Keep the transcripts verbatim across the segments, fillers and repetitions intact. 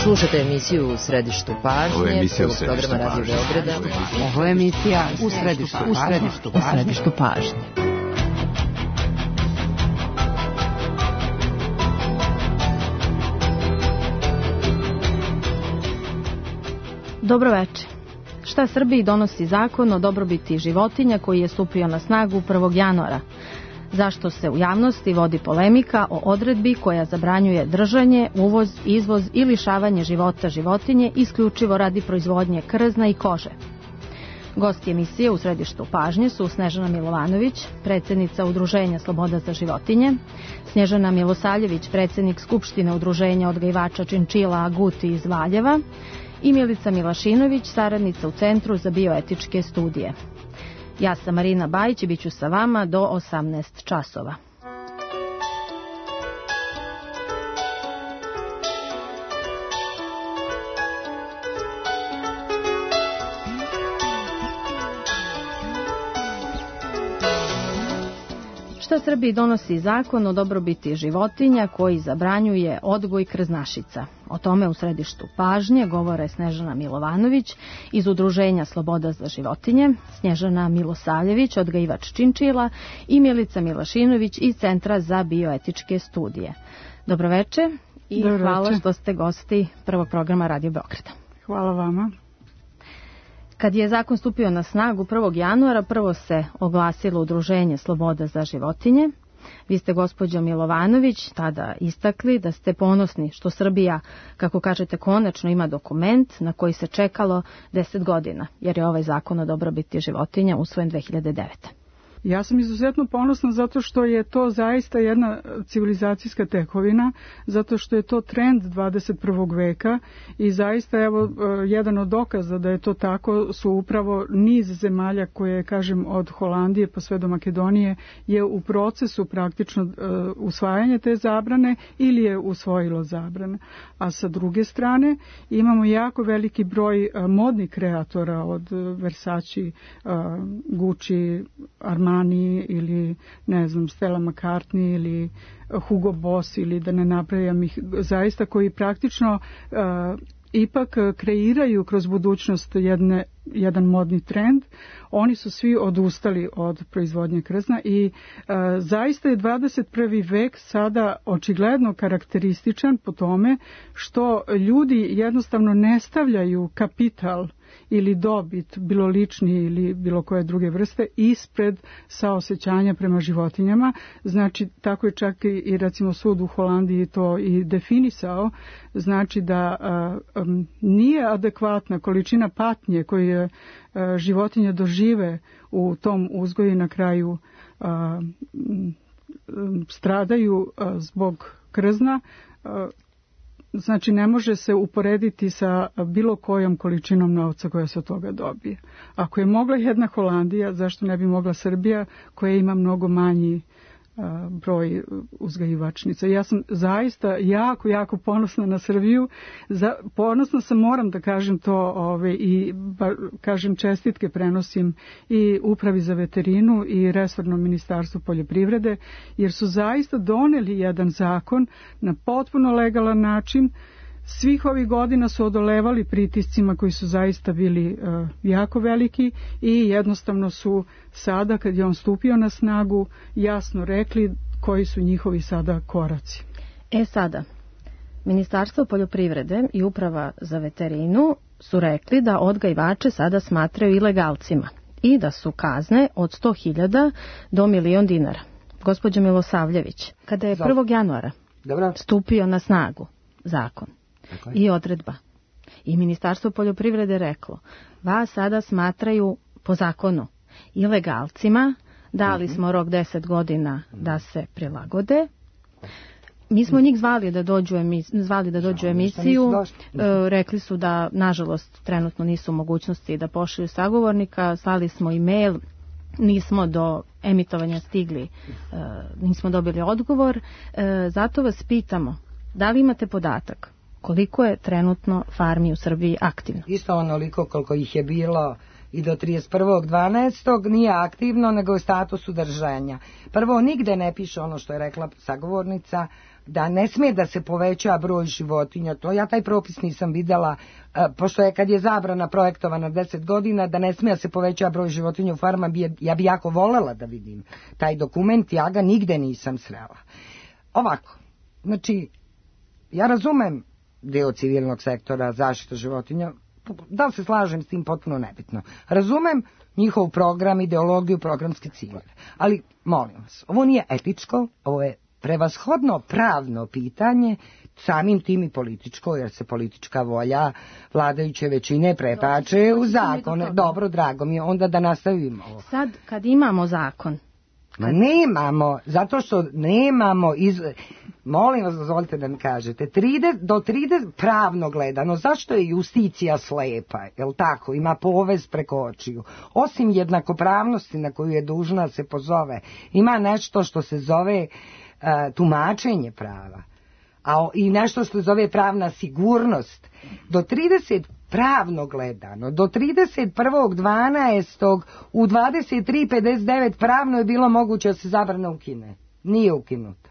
Slušate emisiju U središtu pažnje, prvog programa Radio Beograda. Ovo je emisija U središtu, u središtu, u središtu pažnje. Dobro večer. Šta Srbiji donosi zakon o dobrobiti životinja koji je stupio na snagu prvog januara? Zašto se u javnosti vodi polemika o odredbi koja zabranjuje držanje, uvoz, izvoz i lišavanje života životinje isključivo radi proizvodnje krzna i kože? Gosti emisije U središtu pažnje su Snežana Milovanović, predsjednica Udruženja Sloboda za životinje, Snježana Milosavljević, predsjednik Skupštine Udruženja odgajivača činčila Aguti iz Valjeva i Milica Milašinović, saradnica u Centru za bioetičke studije. Ja sam Marina Bajić i bit ću sa vama do osamnaest časova. Šta Srbiji donosi zakon o dobrobiti životinja koji zabranjuje odgoj krznašica? O tome u središtu pažnje govore Snežana Milovanović iz Udruženja Sloboda za životinje, Snježana Milosavljević, odgajivač činčila i Milica Milašinović iz Centra za bioetičke studije. Dobroveče i Dobro hvala veče. Što ste gosti prvog programa Radio Beograda. Hvala vama. Kad je zakon stupio na snagu prvog januara, prvo se oglasilo Udruženje Sloboda za životinje. Vi ste, gospođo Milovanović, tada istakli da ste ponosni što Srbija, kako kažete, konačno ima dokument na koji se čekalo deset godina, jer je ovaj zakon o dobrobiti životinja usvojen dve hiljade devete. Ja sam izuzetno ponosna zato što je to zaista jedna civilizacijska tekovina, zato što je to trend dvadeset prvog veka i zaista evo jedan od dokaza da je to tako su upravo niz zemalja koje, kažem, od Holandije pa sve do Makedonije je u procesu praktično uh, usvajanja te zabrane ili je usvojilo zabrane. A sa druge strane imamo jako veliki broj uh, modnih kreatora od uh, Versace, uh, Gucci, Armani ili ne znam Stella McCartney ili Hugo Boss ili da ne napravim ih zaista koji praktično uh, ipak kreiraju kroz budućnost jedne, jedan modni trend. Oni su svi odustali od proizvodnje krzna i uh, zaista je dvadeset prvi vek sada očigledno karakterističan po tome što ljudi jednostavno ne stavljaju kapital ili dobit, bilo lični ili bilo koje druge vrste, ispred saosećanja prema životinjama. Znači, tako je čak i recimo sud u Holandiji to i definisao. Znači da uh, um, nije adekvatna količina patnje koju je uh, životinje dožive u tom uzgoju i na kraju uh, um, stradaju uh, zbog krzna. Uh, Znači, ne može se uporediti sa bilo kojom količinom novca koja se od toga dobije. Ako je mogla jedna Holandija, zašto ne bi mogla Srbija koja ima mnogo manji a, broj uzgajivačnica. Ja sam zaista jako, jako ponosna na Srbiju. Za, ponosna sam, moram da kažem to ove, i ba, kažem čestitke prenosim i Upravi za veterinu i resornom ministarstvu poljoprivrede, jer su zaista doneli jedan zakon na potpuno legalan način. Svih ovih godina su odolevali pritiscima koji su zaista bili uh, jako veliki i jednostavno su sada, kad je on stupio na snagu, jasno rekli koji su njihovi sada koraci. E sada, Ministarstvo poljoprivrede i Uprava za veterinu su rekli da odgajivače sada smatraju ilegalcima i da su kazne od sto hiljada do milion dinara. Gospođo Milosavljević, kada je prvog januara Dobre. stupio na snagu zakon Dakle. i odredba i Ministarstvo poljoprivrede reklo, vas sada smatraju po zakonu ilegalcima, dali uh-huh. smo rok deset godina da se prilagode. Mi smo njih zvali da dođu, emis, zvali da dođu emisiju, e, rekli su da nažalost trenutno nisu u mogućnosti da pošalju sagovornika, slali smo e-mail, nismo do emitovanja stigli, e, nismo dobili odgovor, e, zato vas pitamo, da li imate podatak koliko je trenutno farmi u Srbiji aktivno? Isto onoliko koliko ih je bilo i do trideset prvog dvanaestog nije aktivno, nego je u statusu držanja. Prvo, nigde ne piše ono što je rekla sagovornica, da ne smije da se poveća broj životinja. To ja taj propis nisam videla, pošto je kad je zabrana projektovana deset godina, da ne smije da se poveća broj životinja u farma, ja bi jako volela da vidim taj dokument, ja ga nigde nisam srela. Ovako, znači, ja razumem deo civilnog sektora zaštita životinja, da li se slažem s tim, potpuno nebitno. Razumem njihov program, ideologiju, programske ciljeve. Ali, molim vas, ovo nije etičko, ovo je prevashodno pravno pitanje, samim tim i političko, jer se politička volja vladajuće većine pretače u zakone. Dobro, drago mi je, onda da nastavimo ovo. Sad, kad imamo zakon, Ma nemamo, zato što nemamo, iz... molim vas, dozvolite da mi kažete, trideset, do trideset pravno gledano, zašto je justicija slepa, jel tako, ima povez preko očiju, osim jednakopravnosti na koju je dužna se pozove, ima nešto što se zove uh, tumačenje prava, a i nešto što se zove pravna sigurnost. Do trideset pravno gledano, do trideset prvog dvanaestog u dvadeset tri pedeset devet pravno je bilo moguće da se zabrana ukine. Nije ukinuta.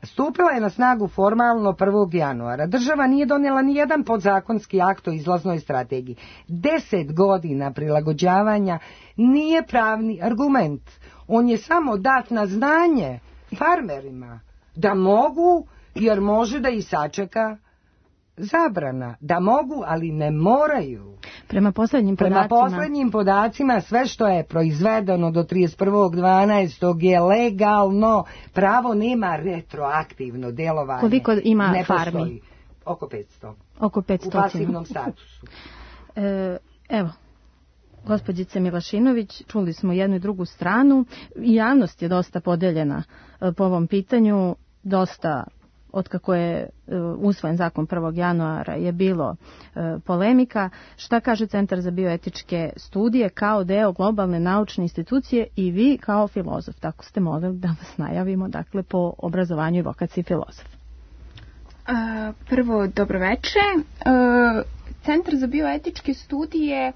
Stupila je na snagu formalno prvog januara. Država nije donijela ni jedan podzakonski akt o izlaznoj strategiji. Deset godina prilagođavanja nije pravni argument. On je samo dat na znanje farmerima da mogu, jer može da i sačeka zabrana, da mogu, ali ne moraju. Prema poslednjim podacima, Prema poslednjim podacima sve što je proizvedeno do trideset prvog dvanaestog je legalno. Pravo nema retroaktivno delovanje. Koliko ima ne farmi? Postoji. Oko petsto. Oko petsto. U pasivnom statusu. e, evo, gospođice Milašinović, čuli smo jednu i drugu stranu. Javnost je dosta podeljena po ovom pitanju, dosta otkako je usvojen zakon prvog januara je bilo polemika. Šta kaže Centar za bioetičke studije kao deo globalne naučne institucije i vi kao filozof? Tako ste molili da vas najavimo, dakle, po obrazovanju i vokaciji filozof. Prvo, dobroveče. Centar za bioetičke studije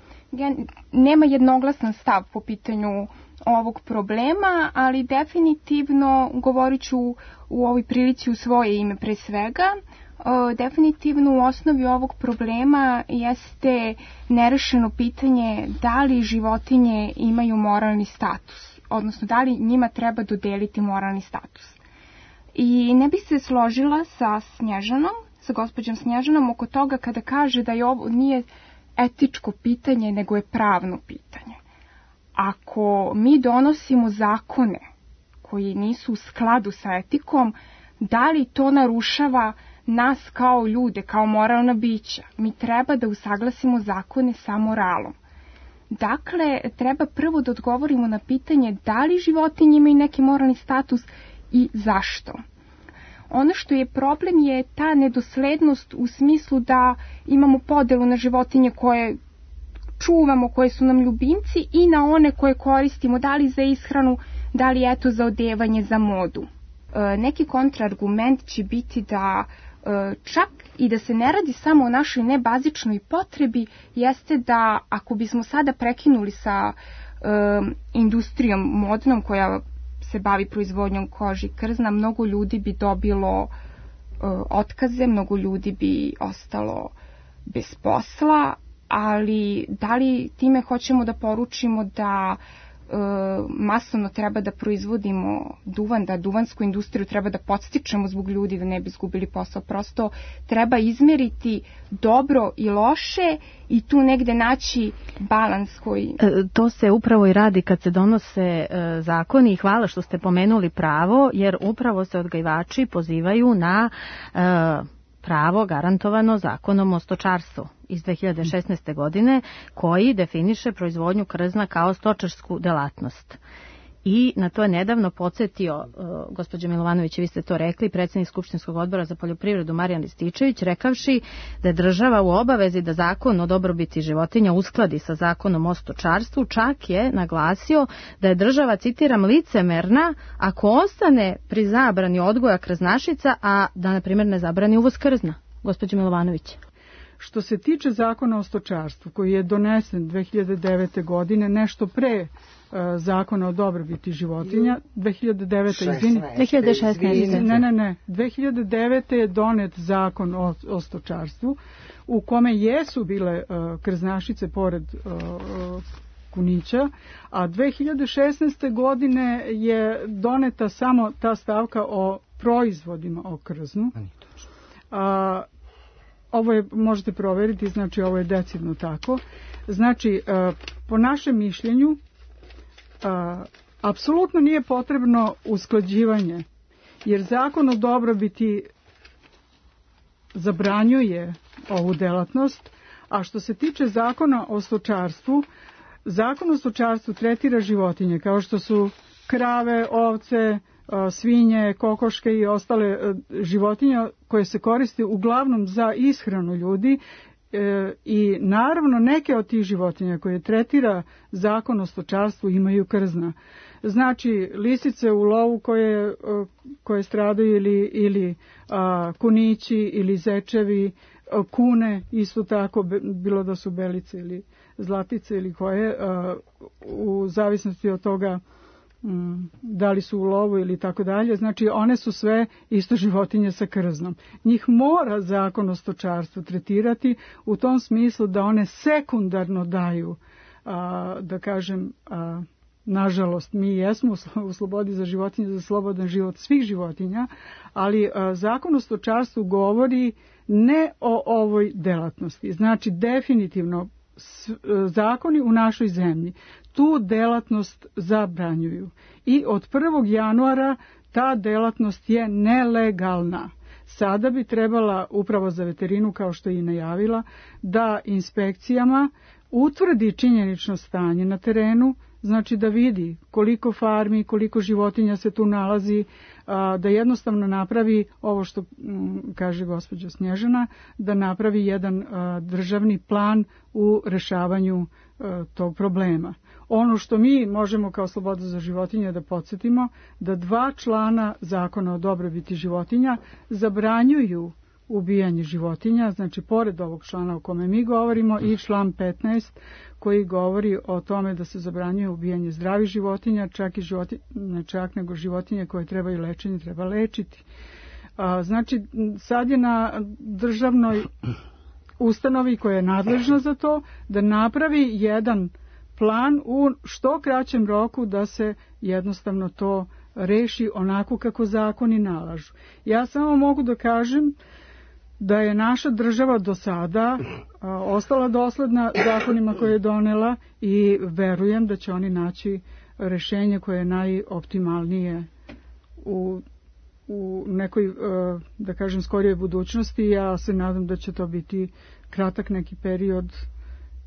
nema jednoglasan stav po pitanju ovog problema, ali definitivno, govorit ću u ovoj prilici u svoje ime pre svega, definitivno u osnovi ovog problema jeste nerešeno pitanje da li životinje imaju moralni status, odnosno da li njima treba dodeliti moralni status. I ne bih se složila sa Snježanom, sa gospođom Snježanom oko toga kada kaže da je ovo nije etičko pitanje, nego je pravno pitanje. Ako mi donosimo zakone koji nisu u skladu sa etikom, da li to narušava nas kao ljude, kao moralna bića? Mi treba da usaglasimo zakone sa moralom. Dakle, treba prvo da odgovorimo na pitanje da li životinje imaju neki moralni status i zašto. Ono što je problem je ta nedoslednost u smislu da imamo podelu na životinje koje čuvamo, koje su nam ljubimci i na one koje koristimo, da li za ishranu, da li eto za odevanje, za modu. E, neki kontraargument će biti da e, čak i da se ne radi samo o našoj nebazičnoj potrebi, jeste da ako bismo sada prekinuli sa e, industrijom modnom koja se bavi proizvodnjom kože i krzna, mnogo ljudi bi dobilo e, otkaze, mnogo ljudi bi ostalo bez posla, ali da li time hoćemo da poručimo da e, masovno treba da proizvodimo duvan, da duvansku industriju treba da podstičemo zbog ljudi da ne bi izgubili posao. Prosto treba izmeriti dobro i loše i tu negde naći balans koji... E, to se upravo i radi kad se donose e, zakoni i hvala što ste pomenuli pravo, jer upravo se odgajivači pozivaju na e, pravo garantovano zakonom o stočarstvu iz dve hiljade šesnaeste. godine, koji definiše proizvodnju krzna kao stočarsku delatnost. I na to je nedavno podsjetio, uh, gospođa Milovanović, vi ste to rekli, predsjednik Skupštinskog odbora za poljoprivredu Marijan Rističević, rekavši da je država u obavezi da zakon o dobrobiti životinja uskladi sa zakonom o stočarstvu, čak je naglasio da je država, citiram, licemerna ako ostane pri zabrani odgoja krznašica, a da, na primjer, ne zabrani uvoz krzna. Gospođa Milovanović. Što se tiče zakona o stočarstvu, koji je donesen dve hiljade devete. godine, nešto pre zakona o dobrobiti životinja, dve hiljade devete. izvini. dve hiljade šesnaeste. Ne, ne, ne. dve hiljade devete. je donet zakon o, o stočarstvu, u kome jesu bile uh, krznašice pored uh, kunića, a dve hiljade šesnaeste. godine je doneta samo ta stavka o proizvodima o krznu. A, ovo je, možete proveriti, znači ovo je decidno tako. Znači, uh, po našem mišljenju, A, apsolutno nije potrebno usklađivanje, jer zakon o dobrobiti zabranjuje ovu delatnost, a što se tiče zakona o stočarstvu, zakon o stočarstvu tretira životinje kao što su krave, ovce, svinje, kokoške i ostale životinje koje se koriste uglavnom za ishranu ljudi. E, i naravno neke od tih životinja koje tretira zakon o stočarstvu imaju krzna. Znači lisice u lovu koje, koje stradaju ili, ili a, kunići ili zečevi, a, kune isto tako, bilo da su belice ili zlatice ili koje, a, u zavisnosti od toga da li su u lovu ili tako dalje, znači one su sve isto životinje sa krznom. Njih mora zakon o stočarstvu tretirati u tom smislu da one sekundarno daju, a, da kažem, a, nažalost, mi jesmo u slobodi za životinje, za slobodan život svih životinja, ali a, zakon o stočarstvu govori ne o ovoj delatnosti. Znači, definitivno s, zakoni u našoj zemlji tu delatnost zabranjuju i od prvog januara ta delatnost je nelegalna. Sada bi trebala Uprava za veterinu, kao što je i najavila, da inspekcijama utvrdi činjenično stanje na terenu, znači da vidi koliko farmi, koliko životinja se tu nalazi, da jednostavno napravi ovo što kaže gospođa Snježana, da napravi jedan državni plan u rešavanju tog problema. Ono što mi možemo kao Sloboda za životinje da podsjetimo, da dva člana zakona o dobrobiti životinja zabranjuju ubijanje životinja, znači pored ovog člana o kome mi govorimo i član petnaest koji govori o tome da se zabranjuje ubijanje zdravih životinja, čak i životinje, ne čak nego životinje koje trebaju lečenje, treba lečiti. A, znači sad je na državnoj ustanovi koja je nadležna za to da napravi jedan plan u što kraćem roku da se jednostavno to reši onako kako zakoni nalažu. Ja samo mogu da kažem da je naša država do sada a, ostala dosledna zakonima koje je donela i verujem da će oni naći rešenje koje je najoptimalnije u, u nekoj, a, da kažem, skorijoj budućnosti. Ja se nadam da će to biti kratak neki period.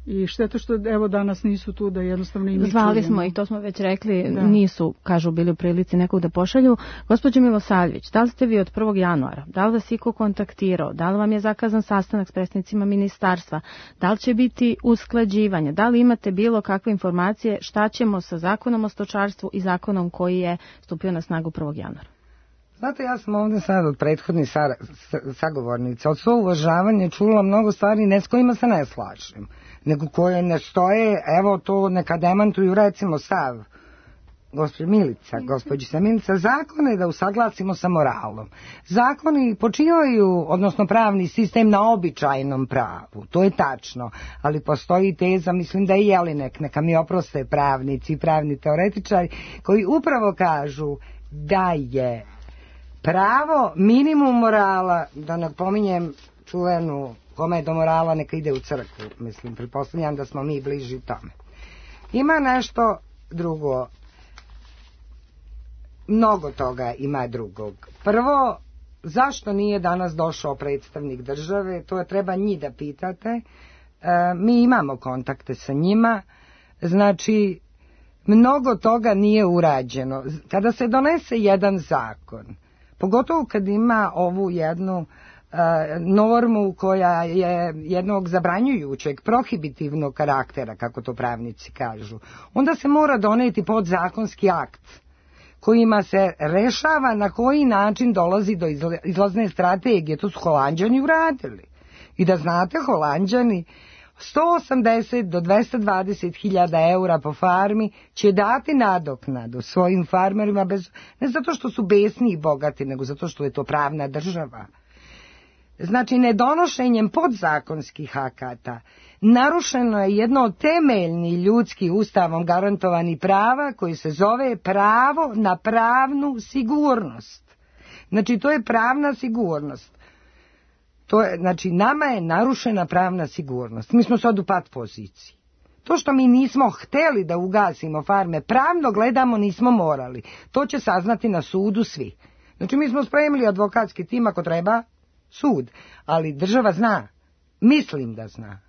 I šteta što evo danas nisu tu da jednostavno i mi Zvali čujemo. smo i to smo već rekli, da. Nisu, kažu, bili u prilici nekog da pošalju. Gospođo Milosavljević, da li ste vi od prvog januara, da li vas iko kontaktirao, da li vam je zakazan sastanak s predstavnicima ministarstva, da li će biti usklađivanje, da li imate bilo kakve informacije šta ćemo sa zakonom o stočarstvu i zakonom koji je stupio na snagu prvog januara? Znate, ja sam ovdje sad od prethodnih sagovornica, od svog uvažavanja čula mnogo stvari ne s kojima se ne slažem, nego koje ne stoje, evo to neka demantuju, recimo stav gospođa Milica, gospođica Milica, zakone da usaglasimo sa moralom. Zakoni počivaju, odnosno pravni sistem, na običajnom pravu, to je tačno, ali postoji teza, mislim da je Jelinek, neka mi oproste pravnici, pravni teoretičari, koji upravo kažu da je pravo minimum morala, da ne pominjem čuvenu kome je do morala neka ide u crkvu, mislim, pretpostavljam da smo mi bliži tome. Ima nešto drugo, mnogo toga ima drugog. Prvo, zašto nije danas došao predstavnik države, to je treba njih da pitate, e, mi imamo kontakte sa njima, znači mnogo toga nije urađeno. Kada se donese jedan zakon, pogotovo kad ima ovu jednu uh, normu koja je jednog zabranjujućeg, prohibitivnog karaktera, kako to pravnici kažu, onda se mora doneti podzakonski akt kojima se rešava na koji način dolazi do izlazne strategije. To su Holanđani uradili. I da znate, Holanđani sto osamdeset do dvesta dvadeset hiljada eura po farmi će dati nadoknadu svojim farmerima, bez, ne zato što su besni i bogati, nego zato što je to pravna država. Znači, nedonošenjem podzakonskih akata narušeno je jedno od temeljnih ljudskih ustavom garantovanih prava koji se zove pravo na pravnu sigurnost. Znači, to je pravna sigurnost. To je, znači, nama je narušena pravna sigurnost. Mi smo sad u pat poziciji. To što mi nismo hteli da ugasimo farme, pravno gledamo nismo morali. To će saznati na sudu svi. Znači, mi smo spremili advokatski tim ako treba sud, ali država zna, mislim da zna,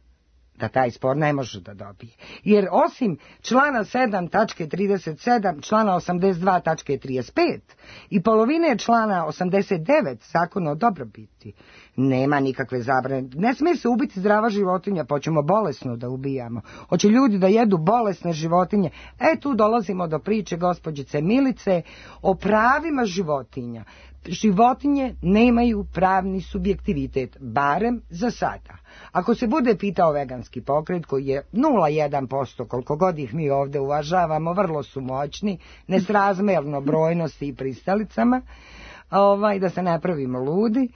da taj spor ne može da dobije. Jer osim člana sedam tačke trideset sedam, člana osamdeset dva tačke trideset pet i polovine člana osamdeset devet zakona o dobrobiti, nema nikakve zabrane. Ne smije se ubiti zdrava životinja, pa ćemo bolesno da ubijamo. Hoće ljudi da jedu bolesne životinje. E, tu dolazimo do priče gospođice Milice o pravima životinja. Životinje nemaju pravni subjektivitet, barem za sada. Ako se bude pitao veganski pokret, koji je nula zarez jedan posto, koliko god ih mi ovdje uvažavamo, vrlo su moćni, nesrazmerno brojnosti i pristalicama, ovaj, da se ne pravimo ludi,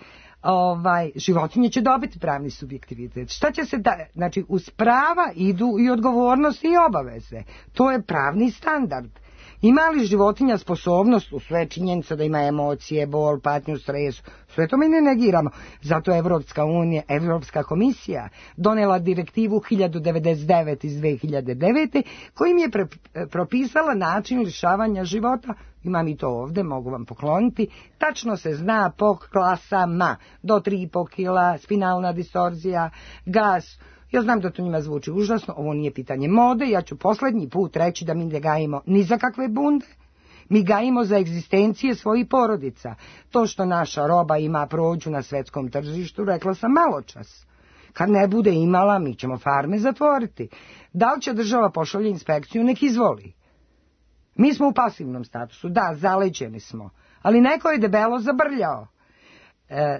ovaj, životinje će dobiti pravni subjektivitet. Šta će se da, znači, uz prava idu i odgovornosti i obaveze. To je pravni standard. Ima li životinja sposobnost, u sve činjenica da ima emocije, bol, patnju, stres, sve to mi ne negiramo. Zato je Evropska unija, Evropska komisija donela direktivu hiljadu devedeset devet iz dve hiljade devete kojim je pre, propisala način lišavanja života. Imam i to ovdje, mogu vam pokloniti. Tačno se zna po klasama, do tri i po kila, spinalna distorzija, gas. Ja znam da to njima zvuči užasno, ovo nije pitanje mode, ja ću posljednji put reći da mi ne gajimo ni za kakve bunde, mi gajimo za egzistencije svojih porodica. To što naša roba ima prođu na svetskom tržištu, rekla sam malo čas. Kad ne bude imala, mi ćemo farme zatvoriti. Da li će država pošalje inspekciju, nek izvoli. Mi smo u pasivnom statusu, da, zaleđeni smo, ali neko je debelo zabrljao.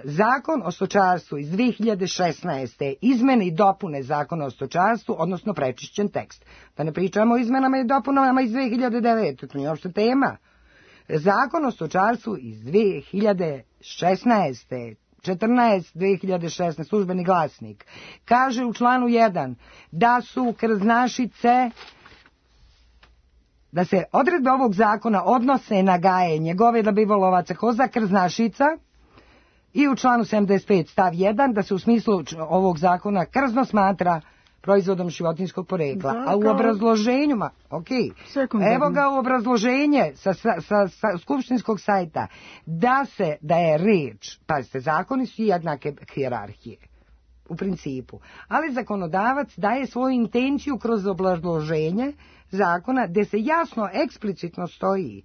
Zakon o stočarstvu iz dve hiljade šesnaeste. izmene i dopune zakona o stočarstvu, odnosno prečišćen tekst. Da ne pričamo o izmenama i dopunama iz dve hiljade devete. To nije uopšte tema. Zakon o stočarstvu iz dve hiljade šesnaeste. četrnaest dve hiljade šesnaeste. službeni glasnik. Kaže u članu jedan da su krznašice, da se odredbe ovog zakona odnose na gajenje goveda, bivolovaca, koza, krznašica. I u članu sedamdeset pet stav jedan da se u smislu ovog zakona krzno smatra proizvodom životinjskog porekla. Da, a u obrazloženju, ma, ok, evo ga u obrazloženje sa, sa, sa, sa skupštinskog sajta, da se, da je reč, pazite, zakoni su jednake hijerarhije, u principu, ali zakonodavac daje svoju intenciju kroz obrazloženje zakona, gdje se jasno, eksplicitno stoji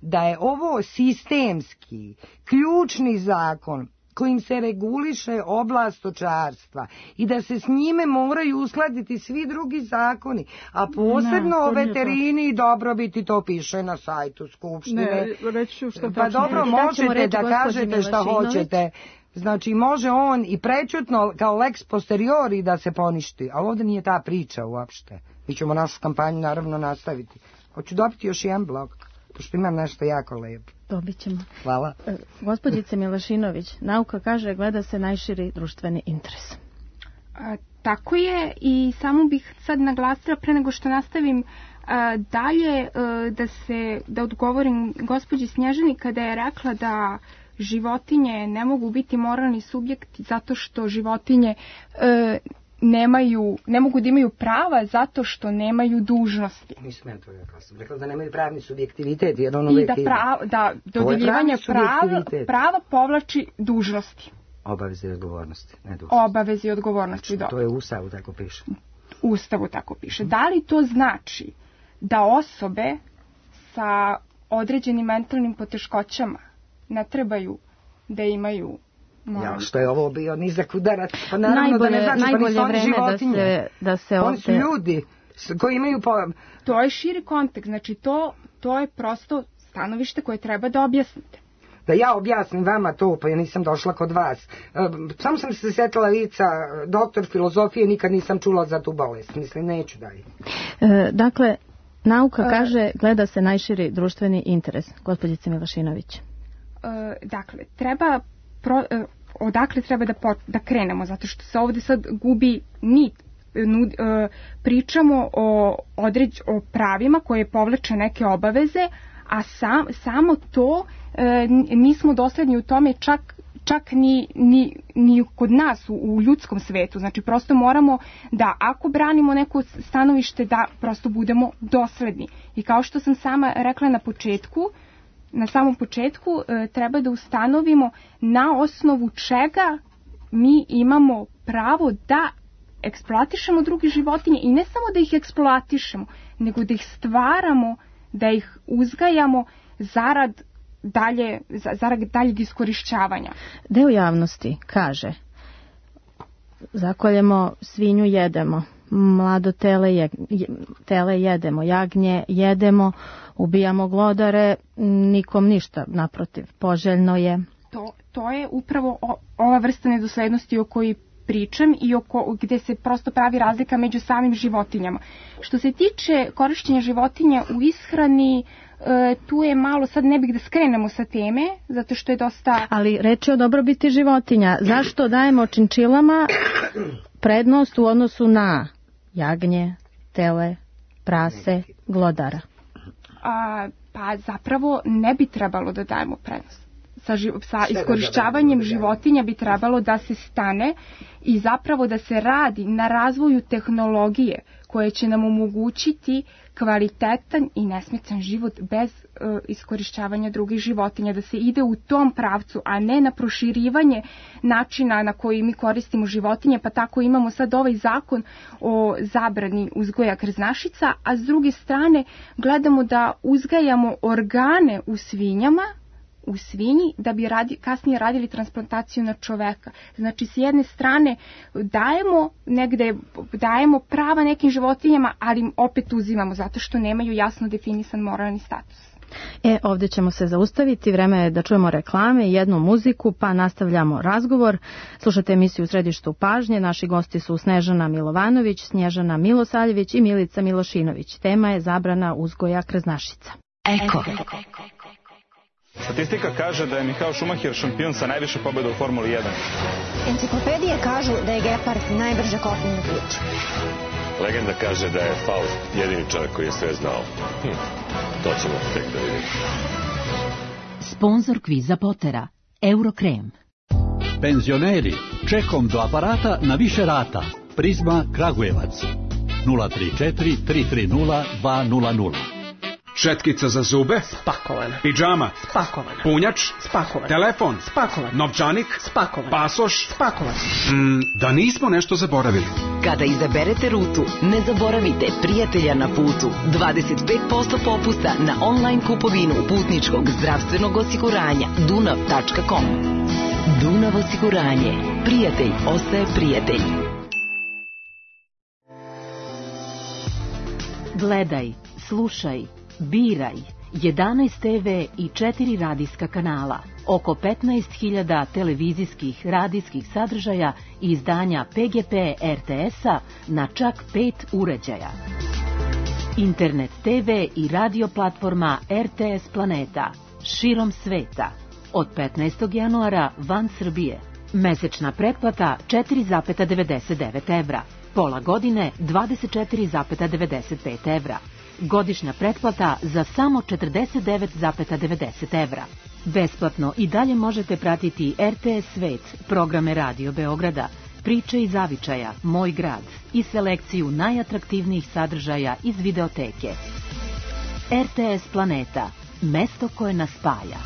da je ovo sistemski, ključni zakon kojim se reguliše oblast stočarstva i da se s njime moraju uskladiti svi drugi zakoni, a posebno o veterini i dobrobiti, to piše na sajtu Skupštine. Ne, reći ću šta pa dobro, možete da kažete šta hoćete. Znači, može on i prečutno kao lex posteriori da se poništi, ali ovdje nije ta priča uopšte. Mi ćemo našu kampanju naravno nastaviti. Hoću dobiti još jedan blok, pošto imam nešto jako lepo. Dobit ćemo. Hvala. E, gospođice Milašinović, nauka kaže gleda se najširi društveni interes. A, tako je, i samo bih sad naglasila pre nego što nastavim a, dalje a, da se da odgovorim gospođi Snježani kada je rekla da životinje ne mogu biti moralni subjekti zato što životinje e, nemaju, ne mogu da imaju prava zato što nemaju dužnosti. Nisam ja to rekla, sam rekla da nemaju pravni subjektivitet. Jer ono I da, prav, da dodjeljivanje prava, prava povlači dužnosti. Obaveze i odgovornosti, ne dužnosti. Obaveze i odgovornosti, znači, to je u Ustavu tako piše. U Ustavu tako piše. Da li to znači da osobe sa određenim mentalnim poteškoćama ne trebaju da imaju moralni? Ja, što je ovo bio nizak udarac? Pa naravno najbolje, da ne znači, najbolje pa vreme životinje. da se, da se Oni su ljudi koji imaju pojam. To je širi kontekst, znači to, to je prosto stanovište koje treba da objasnite. da ja objasnim vama to, pa ja nisam došla kod vas. Samo sam se sjetila lica, doktor filozofije, nikad nisam čula za tu bolest. Mislim, neću dalje. E, dakle, nauka kaže gleda se najširi društveni interes. Gospođice Milošinović. E, dakle, treba... Pro, e, odakle treba da, pot, da krenemo, zato što se ovde sad gubi nit. Nud, e, pričamo o, određ, o pravima koje povlače neke obaveze, a sam, samo to e, nismo dosledni u tome čak, čak ni, ni, ni kod nas u, u ljudskom svetu. Znači prosto moramo da ako branimo neko stanovište da prosto budemo dosledni. I kao što sam sama rekla na početku, na samom početku e, treba da ustanovimo na osnovu čega mi imamo pravo da eksploatišemo druge životinje i ne samo da ih eksploatišemo, nego da ih stvaramo, da ih uzgajamo zarad dalje, zarad daljeg iskorišćavanja. Deo javnosti kaže: zakoljemo svinju, jedemo, mlado tele, je, tele jedemo, jagnje jedemo, ubijamo glodare, nikom ništa, naprotiv, poželjno je. To, to je upravo o, ova vrsta nedoslednosti o kojoj pričam i oko, gde se prosto pravi razlika među samim životinjama. Što se tiče korišćenja životinja u ishrani, e, tu je malo, sad ne bih da skrenemo sa teme, zato što je dosta... Ali reč je o dobrobiti životinja. Zašto dajemo činčilama prednost u odnosu na jagnje, tele, prase, glodara? A, pa zapravo ne bi trebalo da dajemo prednost. Sa, sa iskorišćavanjem životinja bi trebalo da se stane i zapravo da se radi na razvoju tehnologije koje će nam omogućiti kvalitetan i nesmetan život bez uh, iskorišćavanja drugih životinja, da se ide u tom pravcu, a ne na proširivanje načina na koji mi koristimo životinje, pa tako imamo sad ovaj zakon o zabrani uzgoja krznašica, a s druge strane gledamo da uzgajamo organe u svinjama, u svinji da bi radi, kasnije radili transplantaciju na čoveka. Znači, s jedne strane dajemo negde, dajemo prava nekim životinjama, ali opet uzimamo zato što nemaju jasno definisan moralni status. E, ovdje ćemo se zaustaviti, vreme je da čujemo reklame i jednu muziku, pa nastavljamo razgovor. Slušate emisiju U središtu pažnje, naši gosti su Snežana Milovanović, Snježana Milosaljević i Milica Milošinović. Tema je zabrana uzgoja krznašica. Eko. Statistika kaže da je Michael Schumacher šampion sa najviše pobjeda u Formuli jedan. Enciklopedije kažu da je Gepard najbrže kopneni ključ. Legenda kaže da je Faust jedini čovjek koji je sve znao. Hm, to ćemo tek da vidimo. Sponzor kviza Potera, Eurokrem. Penzioneri, čekom do aparata na više rata. Prizma Kragujevac. nula tri četiri tri tri nula dva nula nula. Šetkica za zube? Spakovana. Pidžama? Spakovana. Punjač? Spakovan. Telefon? Spakovan. Novčanik? Spakovan. Pasoš? Spakovan. Mm, da nismo nešto zaboravili. Kada izaberete rutu, ne zaboravite prijatelja na putu. dvadeset pet posto popusta na online kupovinu putničkog zdravstvenog osiguranja dunav tačka com. Dunav osiguranje. Prijatelj ostaje prijatelj. Gledaj, slušaj, biraj. jedanaest te ve i četiri radijska kanala, oko petnaest hiljada televizijskih radijskih sadržaja i izdanja pe ge pe er te es-a na čak pet uređaja. Internet te ve i radio platforma er te es Planeta širom sveta. Od petnaestog januara van Srbije. Mesečna pretplata četiri zarez devedeset devet evra. Pola godine dvadeset četiri zarez devedeset pet evra. Godišnja pretplata za samo četrdeset devet zarez devedeset evra. Besplatno i dalje možete pratiti er te es Svet, programe Radio Beograda, priče iz zavičaja, Moj grad i selekciju najatraktivnijih sadržaja iz videoteke. er te es Planeta, mesto koje nas spaja.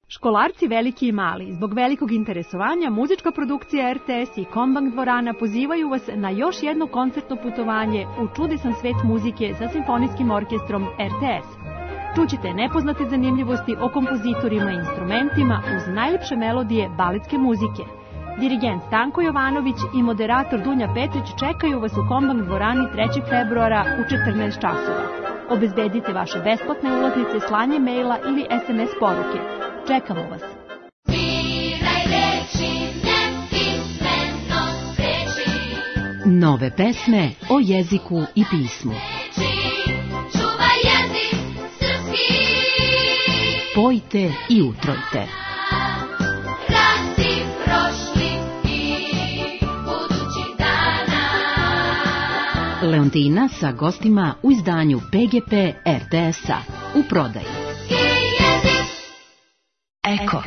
Školarci veliki i mali, zbog velikog interesovanja, muzička produkcija er te es i Kombank dvorana pozivaju vas na još jedno koncertno putovanje u čudesan svet muzike sa simfonijskim orkestrom er te es. Čućite nepoznate zanimljivosti o kompozitorima i instrumentima uz najlepše melodije baletske muzike. Dirigent Stanko Jovanović i moderator Dunja Petrić čekaju vas u Kombank dvorani trećeg februara u četrnaest časova. Obezbedite vaše besplatne ulaznice slanjem maila ili es em es poruke. Čekamo vas. Nove pesme o jeziku i pismu. Pojte i utrojte. Leontina sa gostima u izdanju Pe Ge Pe er te es-a u prodaji. Eko.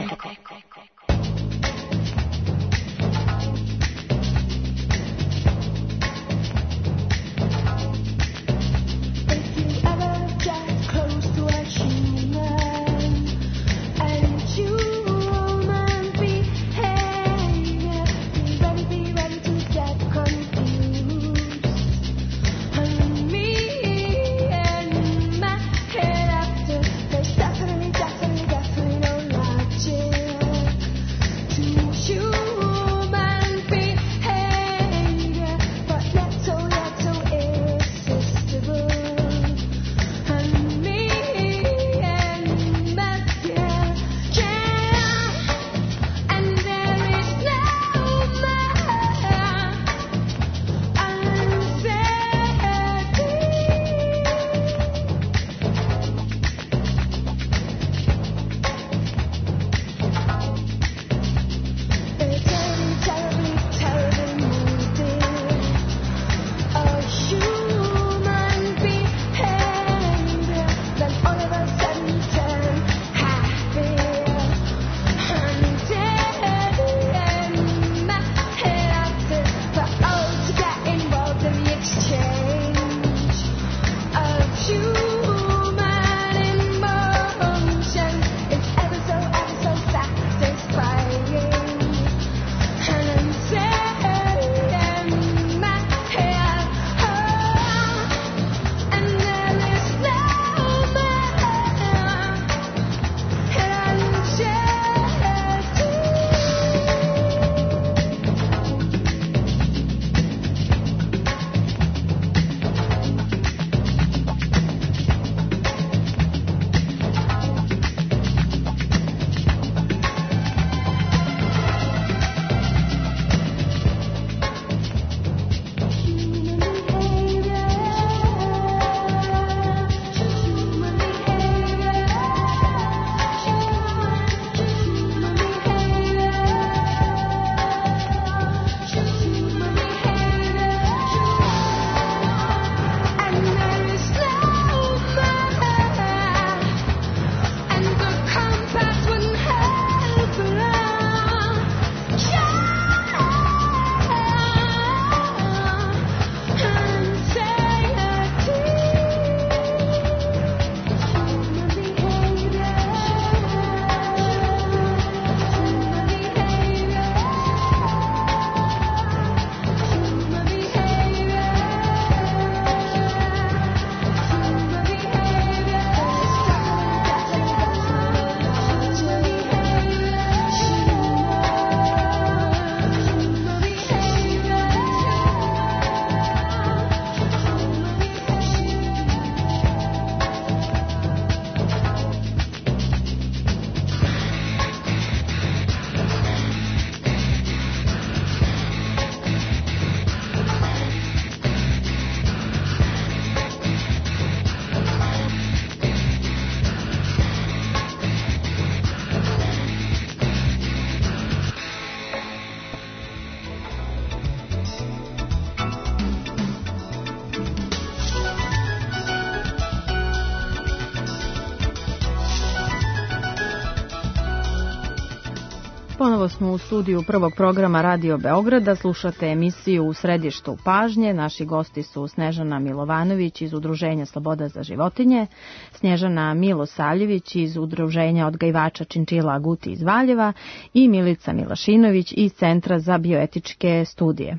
Ponovo smo u studiju prvog programa Radio Beograda, slušate emisiju U središtu pažnje. Naši gosti su Snežana Milovanović iz Udruženja Sloboda za životinje, Snježana Milosavljević iz Udruženja odgajivača činčila Guti iz Valjeva i Milica Milašinović iz Centra za bioetičke studije.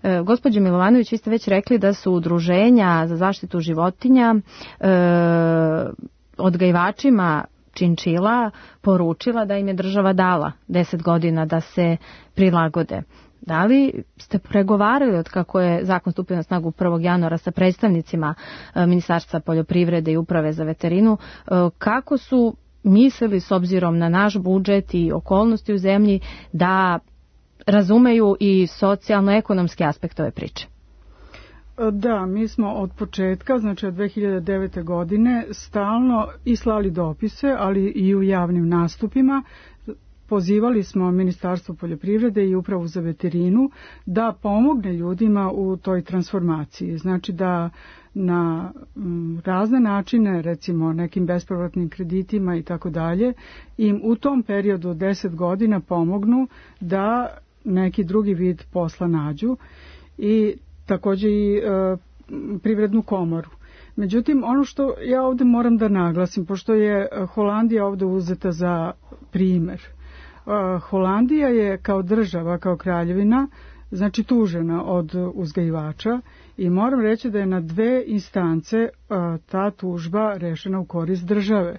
E, gospođo Milovanović, vi ste već rekli da su udruženja za zaštitu životinja e, odgajivačima činčila poručila da im je država dala deset godina da se prilagode. Da li ste pregovarali od kako je zakon stupio na snagu prvog januara sa predstavnicima Ministarstva poljoprivrede i Uprave za veterinu, kako su mislili s obzirom na naš budžet i okolnosti u zemlji da razumeju i socijalno-ekonomski aspekt ove priče? Da, mi smo od početka, znači od dve hiljade devete. godine, stalno i slali dopise, ali i u javnim nastupima. Pozivali smo Ministarstvo poljoprivrede i Upravu za veterinu da pomogne ljudima u toj transformaciji. Znači da na razne načine, recimo nekim bespovratnim kreditima i tako dalje, im u tom periodu od deset godina pomognu da neki drugi vid posla nađu i također i e, privrednu komoru. Međutim, ono što ja ovdje moram da naglasim, pošto je Holandija ovdje uzeta za primjer, Holandija je kao država, kao kraljevina, znači tužena od uzgajivača i moram reći da je na dve instance ta tužba rešena u korist države.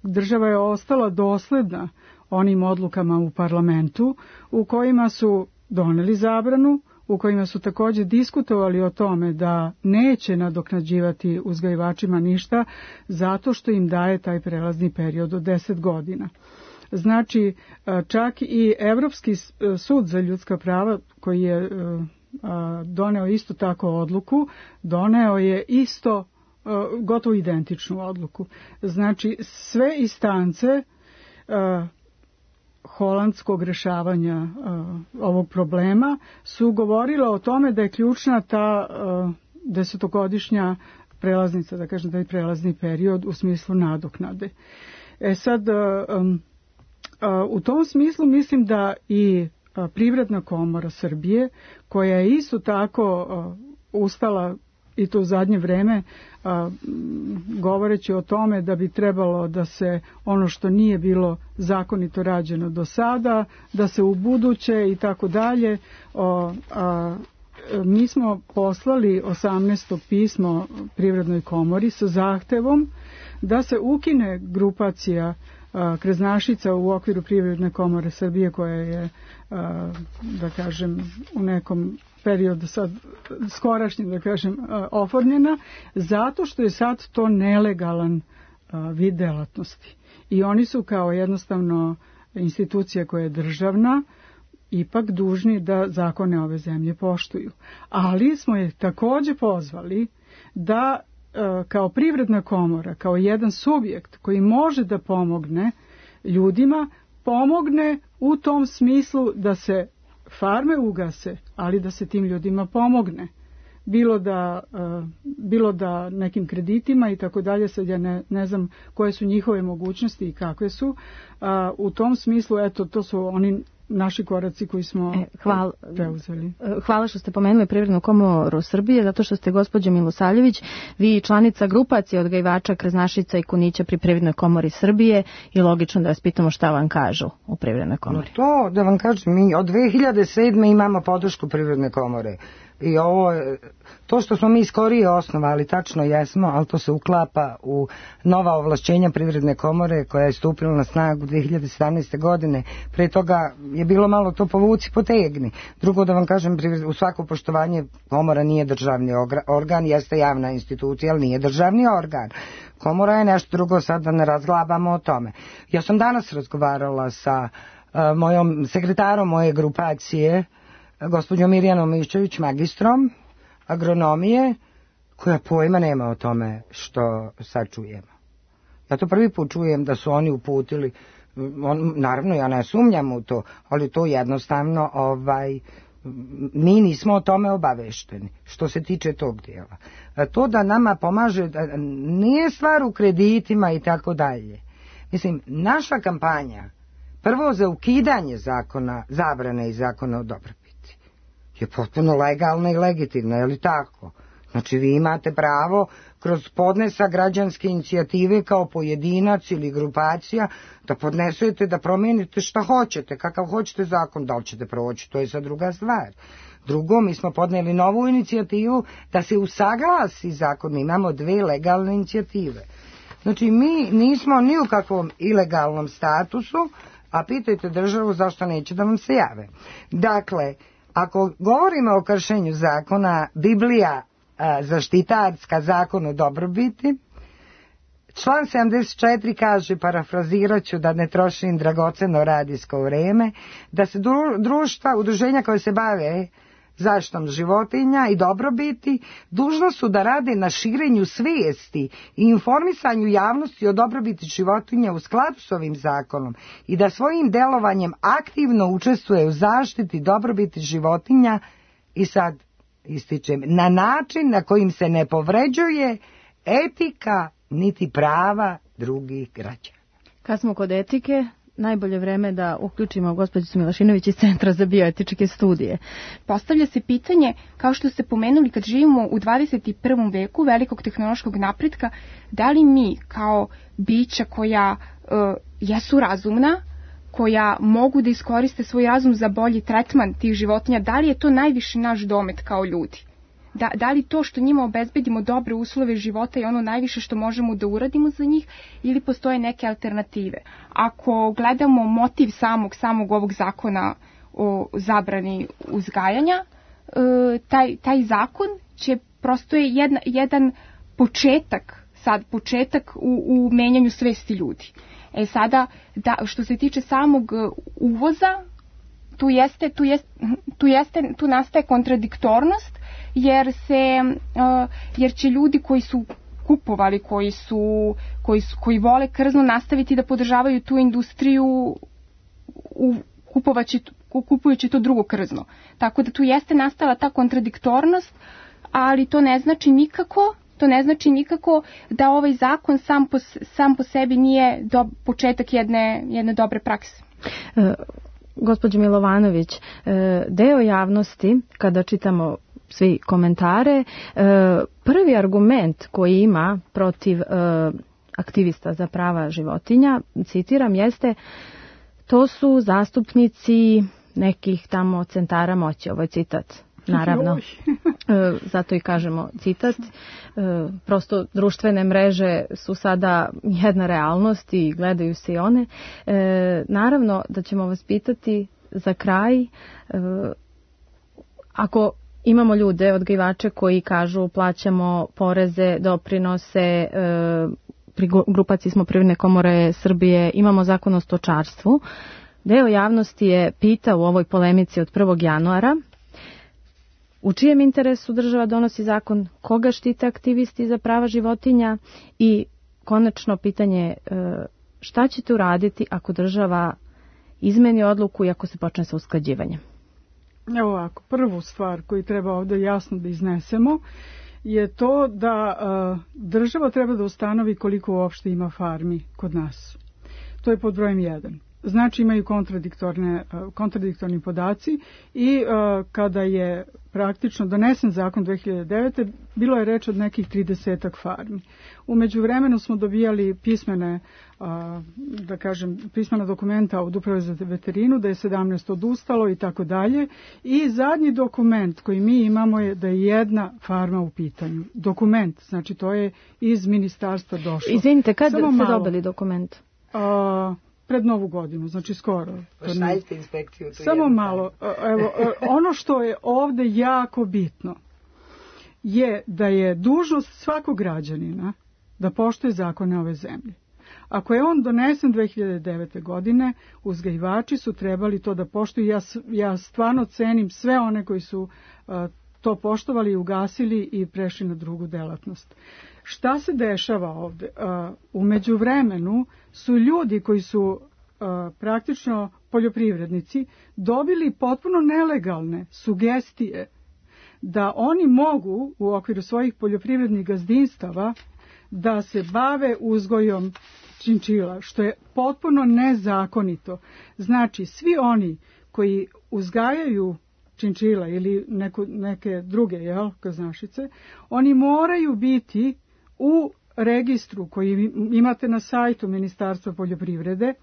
Država je ostala dosledna onim odlukama u parlamentu u kojima su doneli zabranu, u kojima su također diskutovali o tome da neće nadoknađivati uzgajivačima ništa zato što im daje taj prelazni period od deset godina. Znači, čak i Evropski sud za ljudska prava koji je doneo isto tako odluku, doneo je isto gotovo identičnu odluku. Znači, sve instance holandskog rešavanja ovog problema su govorile o tome da je ključna ta desetogodišnja prelaznica, da kažem da je prelazni period u smislu nadoknade. E sad, u tom smislu mislim da i Privredna komora Srbije, koja je isto tako ustala i to u zadnje vreme govoreći o tome da bi trebalo da se ono što nije bilo zakonito rađeno do sada, da se u buduće i tako dalje. Mi smo poslali osamnaesto pismo Privrednoj komori sa zahtevom da se ukine grupacija krznašica u okviru Privredne komore Srbije koja je, da kažem, u nekom periodu sad skorašnjem, da kažem, oformljena, zato što je sad to nelegalan vid delatnosti. I oni su kao jednostavno institucija koja je državna, ipak dužni da zakone ove zemlje poštuju. Ali smo je također pozvali da kao Privredna komora, kao jedan subjekt koji može da pomogne ljudima, pomogne u tom smislu da se farme ugase, ali da se tim ljudima pomogne. Bilo da, bilo da nekim kreditima i tako dalje, sad ja ne, ne znam koje su njihove mogućnosti i kakve su. U tom smislu, eto, to su oni naši koraci koji smo e, hvala, preuzeli. Hvala što ste pomenuli Privrednu komoru Srbije, zato što ste, gospođo Milosavljević, vi članica grupacije odgajivača krznašica i kunića pri Privrednoj komori Srbije i logično da vas pitamo šta vam kažu u Privrednoj komori. No to, da vam kažem, mi od dve hiljade sedme. imamo podršku Privredne komore. I ovo, to što smo mi skorije osnovali, tačno jesmo, ali to se uklapa u nova ovlašćenja Privredne komore koja je stupila na snagu dve hiljade sedamnaeste. godine. Pre toga je bilo malo to povuci potegni. Drugo, da vam kažem, u svako poštovanje, komora nije državni organ, jeste javna institucija, ali nije državni organ. Komora je nešto drugo, sad da ne razglabamo o tome. Ja sam danas razgovarala sa uh, mojom sekretarom moje grupacije, gospođom Mirjanom Miščević, magistrom agronomije, koja pojma nema o tome što sad čujemo. Ja to prvi put čujem da su oni uputili, on, naravno ja ne sumnjam u to, ali to jednostavno ovaj, mi nismo o tome obavešteni što se tiče tog dijela. To da nama pomaže, nije stvar u kreditima i tako dalje. Mislim, naša kampanja prvo za ukidanje zakona, zabrane i zakona o dobrobiti je potpuno legalna i legitimna, je li tako? Znači vi imate pravo kroz podnesak građanske inicijative kao pojedinac ili grupacija da podnesete, da promijenite šta hoćete, kakav hoćete zakon, da li ćete proći, to je sad druga stvar. Drugo, mi smo podneli novu inicijativu da se usaglasi zakon, mi imamo dve legalne inicijative. Znači mi nismo ni u kakvom ilegalnom statusu, a pitajte državu zašto neće da vam se jave. Dakle, ako govorimo o kršenju zakona, Biblija a, zaštitarska, zakon o dobrobiti, član sedamdeset četiri kaže, parafrazirat ću da ne trošim dragoceno radijsko vreme, da se društva, udruženja koje se bave zaštitom životinja i dobrobiti dužno su da rade na širenju svijesti i informisanju javnosti o dobrobiti životinja u skladu s ovim zakonom i da svojim delovanjem aktivno učestvuje u zaštiti dobrobiti životinja i sad ističem, na način na kojim se ne povređuje etika niti prava drugih građana. Kad smo kod etike, najbolje vreme da uključimo gospođicu Milašinović iz Centra za bioetičke studije. Postavlja se pitanje, kao što ste pomenuli, kad živimo u dvadeset prvom veku velikog tehnološkog napretka, da li mi kao bića koja uh, jesu razumna, koja mogu da iskoriste svoj razum za bolji tretman tih životinja, da li je to najviše naš domet kao ljudi? Da, da li to što njima obezbedimo dobre uslove života je ono najviše što možemo da uradimo za njih ili postoje neke alternative? Ako gledamo motiv samog, samog ovog zakona o zabrani uzgajanja, taj, taj zakon će prosto je jedna, jedan početak, sad početak u, u menjanju svesti ljudi. E sada, da, što se tiče samog uvoza, tu jeste, tu jeste, tu jeste, tu nastaje kontradiktornost, jer se, uh, jer će ljudi koji su kupovali, koji su, koji su, koji vole krzno nastaviti da podržavaju tu industriju u kupovaći, kupujući to drugo krzno. Tako da tu jeste nastala ta kontradiktornost, ali to ne znači nikako, to ne znači nikako da ovaj zakon sam po, sam po sebi nije do, početak jedne, jedne dobre prakse. Uh. Gospođo Milovanović, deo javnosti, kada čitamo svi komentare, prvi argument koji ima protiv aktivista za prava životinja, citiram, jeste to su zastupnici nekih tamo centara moći. Ovo je citat, naravno. Zato i kažemo citat. Prosto društvene mreže su sada jedna realnost i gledaju se i one. Naravno da ćemo vas pitati za kraj, ako imamo ljude, odgajivače koji kažu plaćamo poreze, doprinose, pri grupaciji smo Privredne komore Srbije, imamo zakon o stočarstvu, deo javnosti je pitao u ovoj polemici od prvog januara u čijem interesu država donosi zakon, koga štite aktivisti za prava životinja i konačno pitanje šta ćete uraditi ako država izmeni odluku i ako se počne sa usklađivanjem? Evo ovako, prvu stvar koju treba ovdje jasno da iznesemo je to da uh, država treba da ustanovi koliko uopšte ima farmi kod nas. To je pod brojem jedan. Znači imaju kontradiktorne, kontradiktorni podaci i uh, kada je praktično donesen zakon dve hiljade devete. bilo je reč od nekih tridesetak farmi. U međuvremenu smo dobijali pismene, uh, da kažem, pismena dokumenta od Uprave za veterinu, da je sedamnaest odustalo i tako dalje. I zadnji dokument koji mi imamo je da je jedna farma u pitanju. Dokument, znači to je iz ministarstva došlo. Izvinite, kad Samo ste malo, dobili dokument? Uh, Pred Novu godinu, znači skoro. Pošaljite inspekciju. Samo malo. Evo, ono što je ovde jako bitno je da je dužnost svakog građanina da poštuje zakone ove zemlje. Ako je on donesen dve hiljade devete. godine, uzgajivači su trebali to da poštuju. Ja, ja stvarno cenim sve one koji su uh, to poštovali i ugasili i prešli na drugu delatnost. Šta se dešava ovde? Uh, u međuvremenu su ljudi koji su uh, praktično poljoprivrednici dobili potpuno nelegalne sugestije da oni mogu u okviru svojih poljoprivrednih gazdinstava da se bave uzgojom činčila, što je potpuno nezakonito. Znači, svi oni koji uzgajaju činčila ili neko, neke druge, jel, kaznašice, oni moraju biti u registru koji imate na sajtu Ministarstva poljoprivrede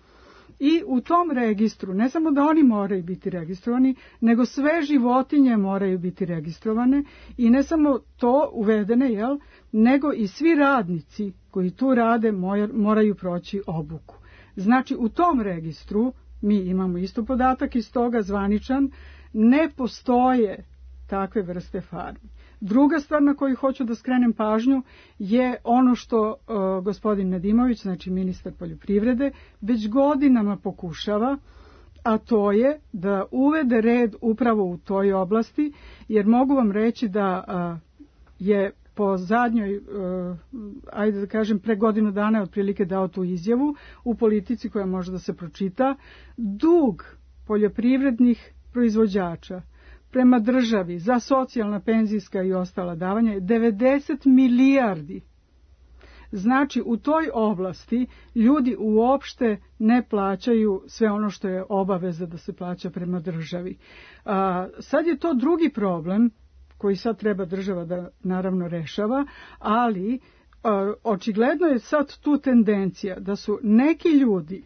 i u tom registru, ne samo da oni moraju biti registrovani, nego sve životinje moraju biti registrovane i ne samo to uvedene, jel, nego i svi radnici koji tu rade moraju proći obuku. Znači, u tom registru mi imamo isto podatak iz toga zvaničan ne postoje takve vrste farmi. Druga stvar na koju hoću da skrenem pažnju je ono što uh, gospodin Nedimović, znači ministar poljoprivrede, već godinama pokušava, a to je da uvede red upravo u toj oblasti, jer mogu vam reći da uh, je po zadnjoj, uh, ajde da kažem, pre godinu dana je otprilike dao tu izjavu u Politici koja može da se pročita, dug poljoprivrednih proizvođača prema državi za socijalna, penzijska i ostala davanja je devedeset milijardi. Znači, u toj oblasti ljudi uopšte ne plaćaju sve ono što je obaveza da se plaća prema državi. A, sad je to drugi problem koji sad treba država da naravno rešava, ali a, očigledno je sad tu tendencija da su neki ljudi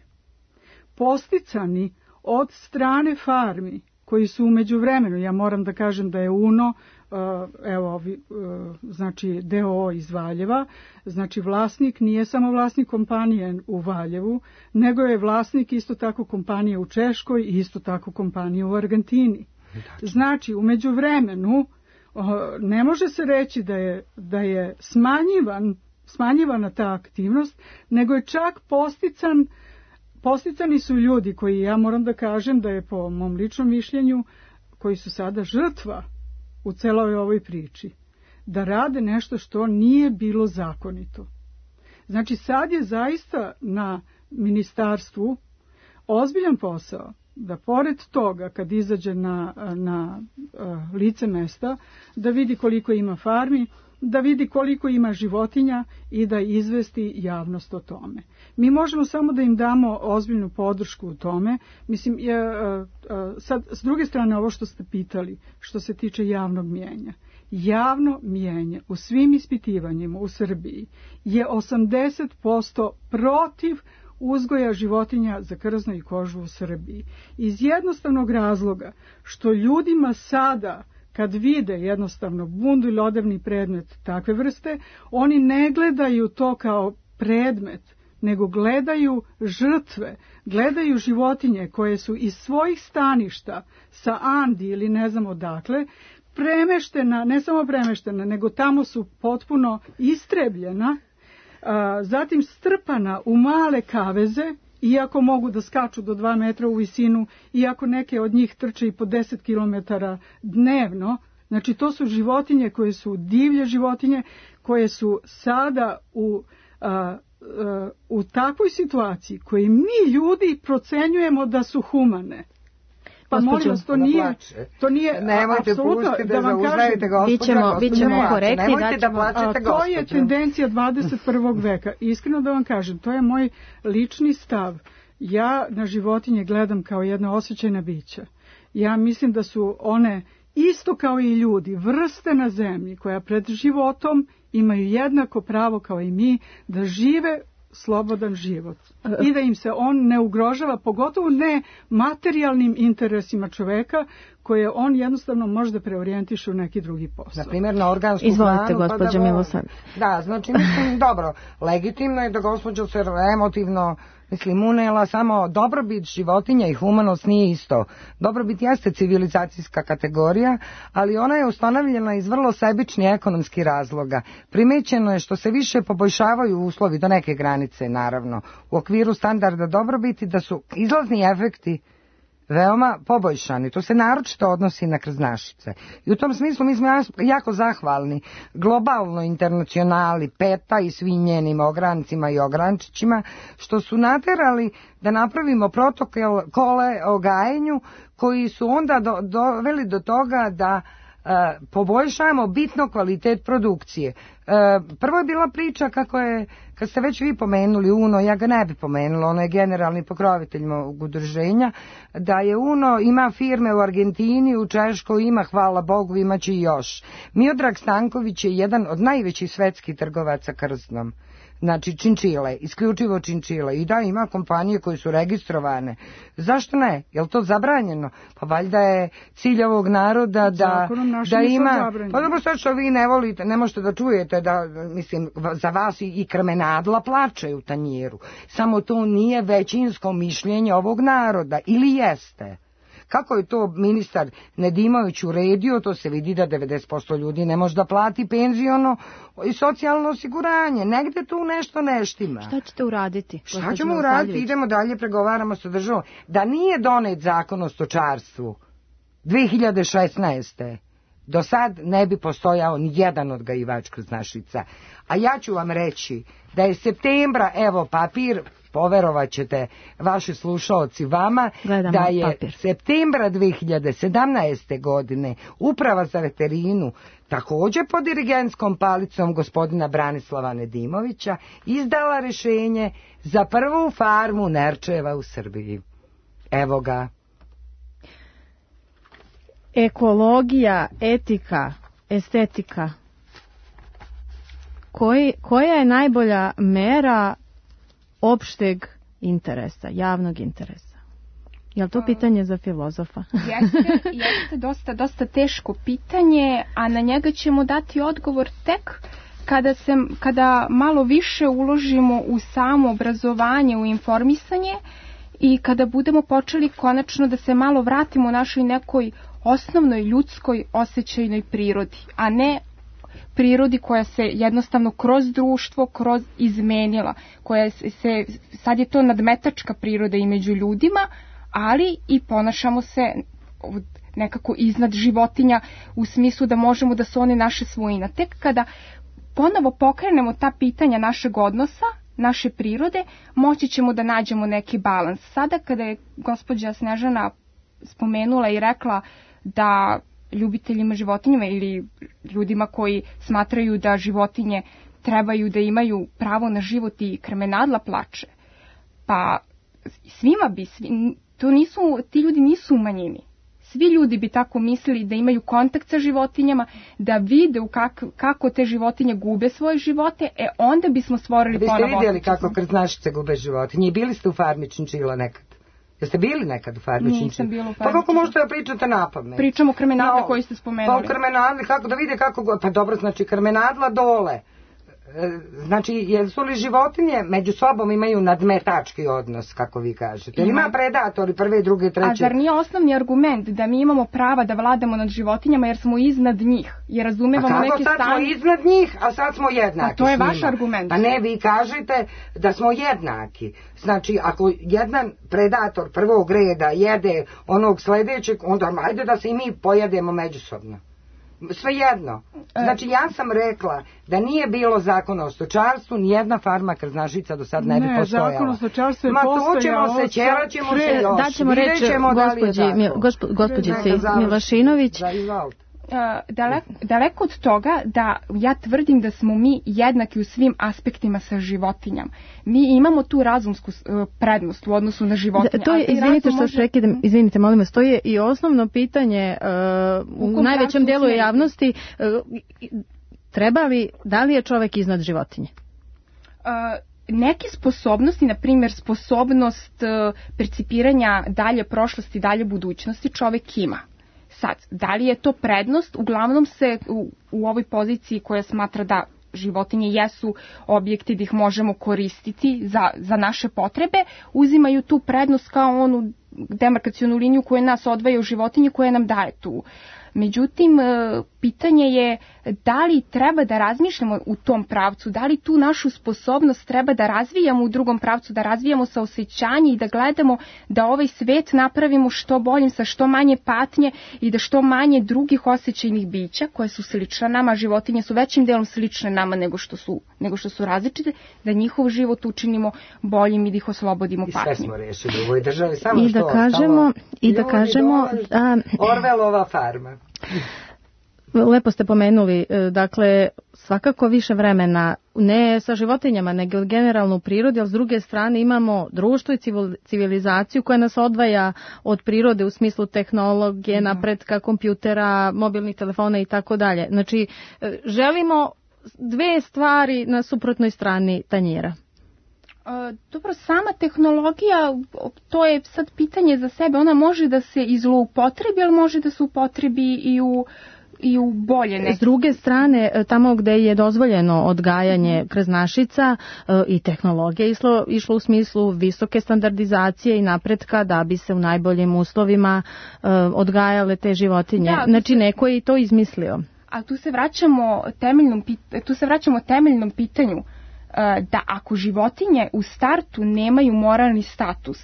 posticani od strane farmi koji su u međuvremenu, ja moram da kažem da je UNO, evo, znači D O O iz Valjeva, znači vlasnik nije samo vlasnik kompanije u Valjevu, nego je vlasnik isto tako kompanije u Češkoj i isto tako kompanije u Argentini. Znači, u međuvremenu ne može se reći da je, da je smanjivan, smanjivana ta aktivnost, nego je čak postican Posticani su ljudi koji, ja moram da kažem da je po mom ličnom mišljenju, koji su sada žrtva u celoj ovoj priči, da rade nešto što nije bilo zakonito. Znači sad je zaista na ministarstvu ozbiljan posao da pored toga kad izađe na, na uh, lice mesta, da vidi koliko ima farmi, da vidi koliko ima životinja i da izvesti javnost o tome. Mi možemo samo da im damo ozbiljnu podršku u tome. Mislim, je, sad, s druge strane, ovo što ste pitali, što se tiče javnog mijenja. Javno mijenje u svim ispitivanjima u Srbiji je osamdeset posto protiv uzgoja životinja za krzno i kožu u Srbiji. Iz jednostavnog razloga što ljudima sada, kad vide jednostavno bundu ili odevni predmet takve vrste, oni ne gledaju to kao predmet, nego gledaju žrtve, gledaju životinje koje su iz svojih staništa sa Andi ili ne znam odakle, premeštena, ne samo premeštena, nego tamo su potpuno istrebljena, a, zatim strpana u male kaveze, iako mogu da skaču do dva metra u visinu, iako neke od njih trče i po deset kilometara dnevno. Znači, to su životinje koje su divlje životinje, koje su sada u, a, a, u takvoj situaciji koje mi ljudi procenjujemo da su humane. Pa molim vas, to nije, to nije nemojte apsolutno, pustiti da vam kažem, bićemo, bićemo korektni, nemojte da plačete, to je tendencija dvadeset prvog veka. Iskreno da vam kažem, to je moj lični stav. Ja na životinje gledam kao jedna osjećajna bića. Ja mislim da su one isto kao i ljudi, vrste na zemlji koja pred životom imaju jednako pravo kao i mi da žive slobodan život i da im se on ne ugrožava, pogotovo ne materijalnim interesima čoveka koje on jednostavno može da preorijentiše u neki drugi posao. Na primjer, na organsku Izvolite, hranu. Izvolite, gospođa pa da Milosavljević. Da, znači, mislim, dobro, legitimno je da gospođa se emotivno, mislim, unela, samo dobrobit životinja i humanost nije isto. Dobrobit jeste civilizacijska kategorija, ali ona je ustanovljena iz vrlo sebičnih ekonomskih razloga. Primećeno je što se više poboljšavaju uslovi do neke granice, naravno, u okviru standarda dobrobiti, da su izlazni efekti veoma poboljšani. To se naročito odnosi na krznašice. I u tom smislu mi smo jako zahvalni globalnoj internacionali, PETA i svim njenim ograncima i ogrančićima, što su naterali da napravimo protokole o gajenju koji su onda do, doveli do toga da e, poboljšamo bitno kvalitet produkcije. E, prvo je bila priča kako je, kad ste već vi pomenuli UNO, ja ga ne bi pomenula, ono je generalni pokrovitelj mog udruženja, da je UNO, ima firme u Argentini, u Češkoj, ima, hvala Bogu, imaće i još. Miodrag Stanković je jedan od najvećih svetskih trgovaca krznom. Znači činčile, isključivo činčile. I da, ima kompanije koje su registrovane. Zašto ne? Je li to zabranjeno? Pa valjda je cilj ovog naroda da, da ima... Pa dobro, sad što vi ne volite, ne možete da čujete da, mislim, za vas i, i krmenadla plačaju u tanjiru. Samo to nije većinsko mišljenje ovog naroda. Ili jeste? Kako je to ministar Nedimović uredio, to se vidi da devedeset posto ljudi ne može da plati penziono i socijalno osiguranje. Negde tu nešto neštima. Šta ćete uraditi? Šta ćemo uraditi? Idemo dalje, pregovaramo sa državom. Da nije donet zakon o stočarstvu dve hiljade šesnaeste. do sad ne bi postojao ni jedan odgajivač krznašica. A ja ću vam reći da je septembra, evo papir, poverovat ćete vaši slušaoci vama, Gledamo da je papir. septembra dve hiljade sedamnaeste. godine Uprava za veterinu, takođe pod dirigentskom palicom gospodina Branislava Nedimovića, izdala rešenje za prvu farmu Nerčeva u Srbiji. Evo ga. Ekologija, etika, estetika. Koji, koja je najbolja mera opšteg interesa, javnog interesa? Je li to pitanje za filozofa? Jeste, jeste dosta, dosta teško pitanje, a na njega ćemo dati odgovor tek kada, se, kada malo više uložimo u samo obrazovanje, u informisanje i kada budemo počeli konačno da se malo vratimo našoj nekoj osnovnoj ljudskoj osjećajnoj prirodi, a ne prirodi koja se jednostavno kroz društvo, kroz izmenila, koja se, se, sad je to nadmetačka priroda i među ljudima, ali i ponašamo se nekako iznad životinja u smislu da možemo da su one naše svojina. Tek kada ponovo pokrenemo ta pitanja našeg odnosa, naše prirode, moći ćemo da nađemo neki balans. Sada kada je gospođa Snežana spomenula i rekla da ljubiteljima životinjama ili ljudima koji smatraju da životinje trebaju da imaju pravo na život i krmenadla plače, pa svima bi, svi, to nisu, ti ljudi nisu u manjini. Svi ljudi bi tako mislili da imaju kontakt sa životinjama, da vide kak, kako te životinje gube svoje živote, e onda bismo stvorili ponovo. Vi ste vidjeli kako krznašice gube životinje i bili ste u farmi Činčila nekad? Jeste bili nekad u farmi Činčila? Nisam bila u farmi. Pa kako možete da pričate napamet? Pričamo o krmenadli no, koji ste spomenuli. Pa o krmenadli, kako da vide kako, pa dobro, znači krmenadla dole. Znači, jesu li životinje među sobom imaju nadmetački odnos, kako vi kažete? Ima, ima predatori prve, druge, treće. A zar nije osnovni argument da mi imamo prava da vladamo nad životinjama jer smo iznad njih? Jer razumevamo neke stanje... A kako sad smo iznad njih, a sad smo jednaki? A to je vaš argument. Pa ne, vi kažete da smo jednaki. Znači, ako jedan predator prvog reda jede onog sledećeg, onda ajde da se i mi pojedemo međusobno. Svejedno. Znači, ja sam rekla da nije bilo zakona o stočarstvu, nijedna farma krznašica do sad ne bi ne, postojala. Ne, zakon o stočarstvu je Ma postojao. to ćemo se, ćera ćemo pre, se još. Daćemo reći gospođici Milašinović. Daleko, daleko od toga da ja tvrdim da smo mi jednaki u svim aspektima sa životinjama. Mi imamo tu razumsku prednost u odnosu na životinje. Da, to je, izvinite što može... prekidam, izvinite, molim vas, to je i osnovno pitanje uh, u najvećem delu javnosti. Uh, treba li, da li je čovek iznad životinje? Uh, neke sposobnosti, na primjer sposobnost uh, percipiranja dalje prošlosti, dalje budućnosti čovek ima. Sad, da li je to prednost? Uglavnom se u, u ovoj poziciji koja smatra da životinje jesu objekti da ih možemo koristiti za, za naše potrebe, uzimaju tu prednost kao onu demarkacionu liniju koja nas odvaja u životinje koja nam daje tu. Međutim, pitanje je da li treba da razmišljamo u tom pravcu, da li tu našu sposobnost treba da razvijamo u drugom pravcu, da razvijamo saosećanje i da gledamo da ovaj svet napravimo što boljim, sa što manje patnje i da što manje drugih osjećajnih bića koje su slične nama, životinje su većim delom slične nama nego što su, nego što su različite, da njihov život učinimo boljim i da ih oslobodimo patnje. I sve smo rešili u ovoj državi, samo I da što kažemo, i da kažemo a, Orvelova farma. Lepo ste pomenuli, dakle, svakako više vremena, ne sa životinjama, nego generalno u prirodi, ali s druge strane imamo društvo i civilizaciju koja nas odvaja od prirode u smislu tehnologije, napretka, kompjutera, mobilnih telefona i tako dalje. Znači, želimo dve stvari na suprotnoj strani tanjira. Dobro, sama tehnologija, to je sad pitanje za sebe, ona može da se izloupotrebi, ali može da se upotrebi i u i u bolje neke. S druge strane, tamo gde je dozvoljeno odgajanje krznašica i tehnologija išlo, išlo u smislu visoke standardizacije i napretka da bi se u najboljim uslovima odgajale te životinje. Da, znači, se... neko je i to izmislio. A tu se vraćamo temeljnom, tu se vraćamo temeljnom pitanju da ako životinje u startu nemaju moralni status,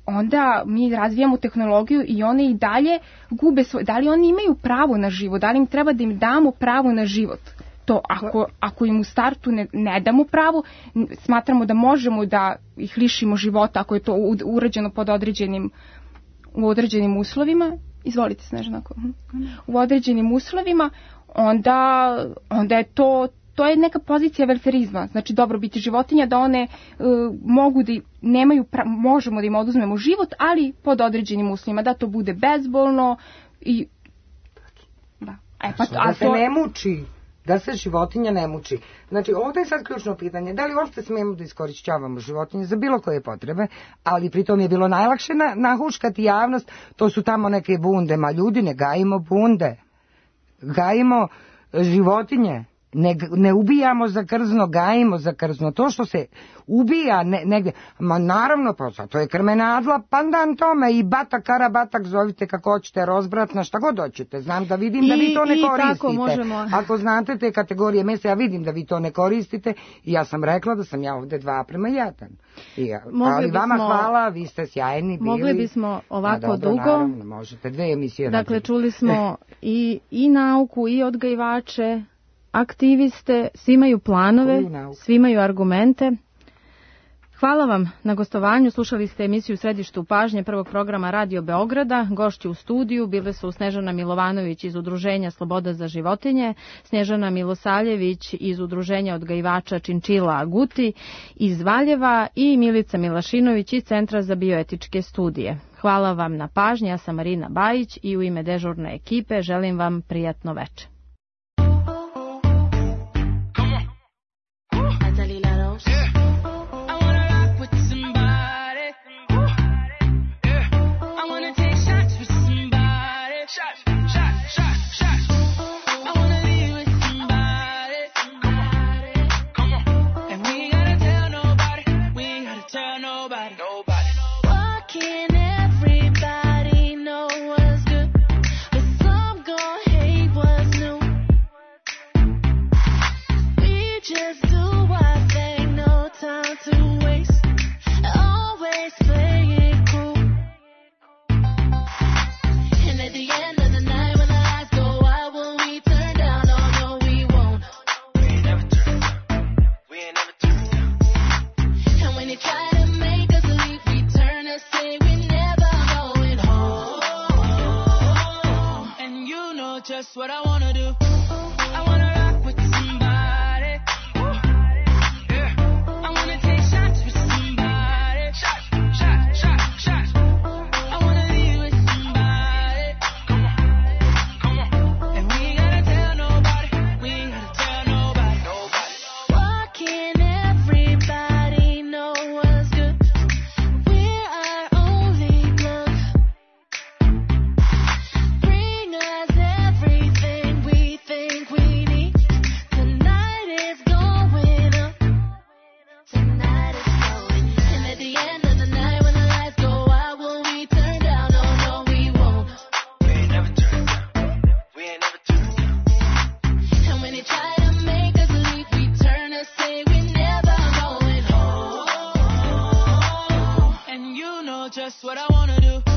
onda mi razvijamo tehnologiju i one i dalje gube svoj... Da li oni imaju pravo na život? Da li im treba da im damo pravo na život? To ako, ako im u startu ne, ne damo pravo, smatramo da možemo da ih lišimo života ako je to urađeno pod određenim, u određenim uslovima. Izvolite, Snežana. U određenim uslovima, onda, onda je to... To je neka pozicija velferizma, znači dobrobiti životinja, da one uh, mogu da nemaju, pra, možemo da im oduzmemo život, ali pod određenim uslovima, da to bude bezbolno i da. E, pa, a da se to... ne muči, da se životinja ne muči. Znači, ovdje je sad ključno pitanje, da li uopšte smijemo da iskorišćavamo životinje za bilo koje potrebe, ali pritom je bilo najlakše na, nahuškati javnost, to su tamo neke bunde, ma ljudi, ne gajimo bunde, gajimo životinje. Ne, ne ubijamo za krzno, gajimo za krzno. To što se ubija ne, negdje, ma naravno, pa to je krmenadla, pandan tome i batak, karabatak, zovite kako hoćete, rozbratna, šta god hoćete. Znam da vidim I, da vi to ne koristite. Možemo... Ako znate te kategorije mesa, ja vidim da vi to ne koristite i ja sam rekla da sam ja ovdje dva prema jedan. I ja, ali bismo, vama hvala, vi ste sjajni bili. Mogli bismo ovako dobro, dugo. Naravno, možete dve emisije. Dakle, raditi. Čuli smo i, i nauku, i odgajivače, aktiviste, svi imaju planove, svi imaju argumente. Hvala vam na gostovanju. Slušali ste emisiju Središtu pažnje prvog programa Radio Beograda. Gošći u studiju bile su Snežana Milovanović iz Udruženja Sloboda za životinje, Snježana Milosaljević iz Udruženja odgajivača Činčila Aguti iz Valjeva i Milica Milašinović iz Centra za bioetičke studije. Hvala vam na pažnji. Ja sam Marina Bajić i u ime dežurne ekipe želim vam prijatno veče. Just what I wanna do. I wanna rock with somebody. Yeah. I wanna take shots with somebody. Shot, shot, shot, shot. I wanna be with somebody. Come on, come on. And we ain't gotta tell nobody. We ain't gotta tell nobody. Nobody. Why can't everybody know what's good? We're our only glove. Bring us everything we think we need. Tonight is going up. Tonight is going up. And at the end of the night when the lights go out, will we turn down? Oh no, we won't. We ain't never turn down. We ain't never turn down. And when they try to make us leave, we turn and say we're never going home. And you know just what I wanna do.